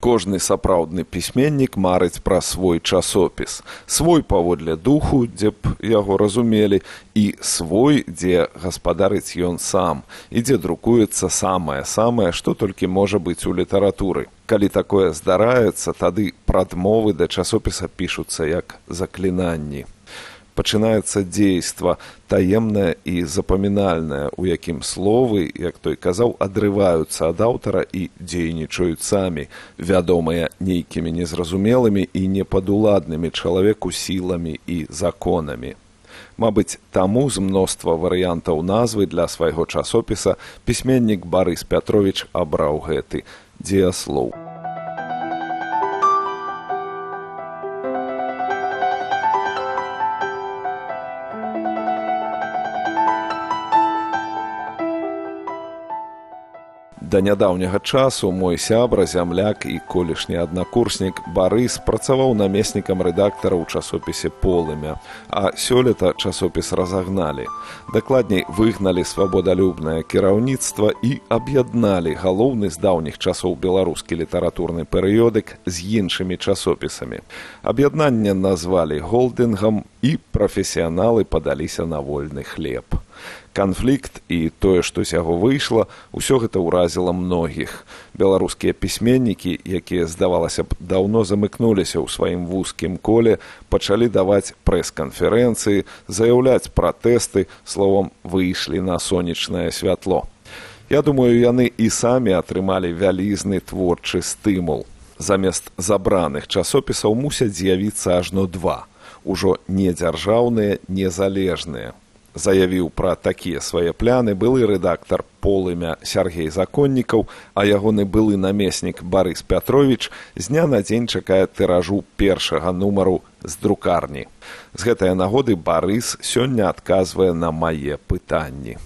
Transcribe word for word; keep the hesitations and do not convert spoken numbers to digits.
Кожны сапраўдны пісьменнік марыць пра свой часопіс. Свой паводле духу, дзе б яго разумелі, і свой, дзе гаспадарыць ён сам, і дзе друкуецца самае-самае, што толькі можа быць у літаратуры. Калі такое здараецца, тады прадмовы да часопіса пішуцца як заклінанні. Пачынаецца дзейства, таемнае і запамінальнае, у якім словы, як той казаў, адрываюцца ад аўтара і дзейнічаюць самі, вядомыя нейкімі незразумелымі і непадуладнымі чалавеку сіламі і законамі. Мабыць, таму з мноства варыянтаў назвы для свайго часопіса пісьменнік Барыс Пятровіч абраў гэты дзеяслоў. Да нядаўняга часу мой сябра, зямляк і колішні аднакурснік Барыс працаваў намеснікам рэдактара ў часопісе «Полымя», а сёлета часопіс разагналі. Дакладней, выгналі свабодалюбнае кіраўніцтва і аб'ядналі галоўны з даўніх часоў беларускі літаратурны перыёдык з іншымі часопісамі. Аб'яднанне назвалі холдынгам, і прафесіяналы падаліся на вольны хлеб. Канфлікт і тое, што з яго выйшла, усё гэта ўразіла многіх. Беларускія пісьменнікі, якія, здавалася б, даўно замыкнуліся ў сваім вузкім коле, пачалі даваць прэс-канферэнцыі, заяўляць пратэсты, словам, выйшлі на сонечнае святло. Я думаю, яны і самі атрымалі вялізны творчы стымул. Замест забраных часопісаў мусяць з'явіцца ажно два. Ужо не дзяржаўныя, незалежныя. Заявіў пра такія свае пляны былы рэдактар «Полымя» Сяргей Законнікаў, а ягоны былы намеснік Барыс Пятровіч з дня на дзень чакае тыражу першага нумару з друкарні. З гэтай нагоды Барыс сёння адказвае на мае пытанні.